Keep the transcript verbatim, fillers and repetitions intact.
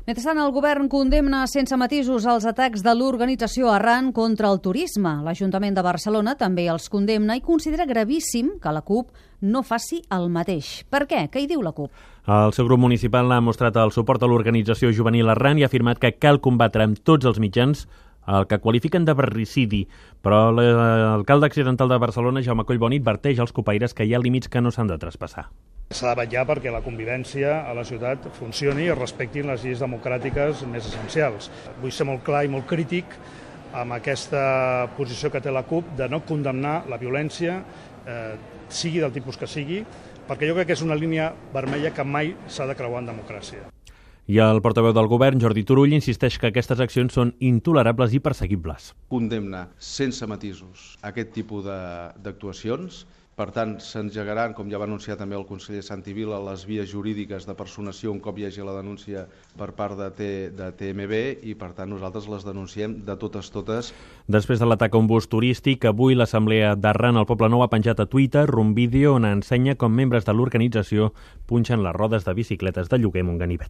Mentrestant, el govern condemna sense matisos els atacs de l'organització Arran contra el turisme. L'Ajuntament de Barcelona també els condemna i considera gravíssim que la CUP no faci el mateix. Per què? Què hi diu la CUP? El seu grup municipal ha mostrat el suport a l'organització juvenil Arran i ha afirmat que cal combatre amb tots els mitjans el que qualifiquen de barricidi, però l'alcalde accidental de Barcelona, Jaume Collboni, adverteix als copaires que hi ha límits que no s'han de traspassar. S'ha de vetllar perquè la convivència a la ciutat funcioni i es respectin les lleis democràtiques més essencials. Vull ser molt clar i molt crític amb aquesta posició que té la CUP de no condemnar la violència, eh, sigui del tipus que sigui, perquè jo crec que és una línia vermella que mai s'ha de creuar en democràcia. I el portaveu del govern, Jordi Turull, insisteix que aquestes accions són intolerables i perseguibles. Condemna sense matisos aquest tipus d'actuacions. Per tant, s'engegaran, com ja va anunciar també el conseller Santi Vila, les vies jurídiques de personació un cop hi hagi la denúncia per part de, de T M B i, per tant, nosaltres les denunciem de totes totes. Després de l'atac a un bus turístic, avui l'Assemblea d'Arran al Poblenou ha penjat a Twitter un vídeo on ensenya com membres de l'organització punxen les rodes de bicicletes de lloguer amb un ganivet.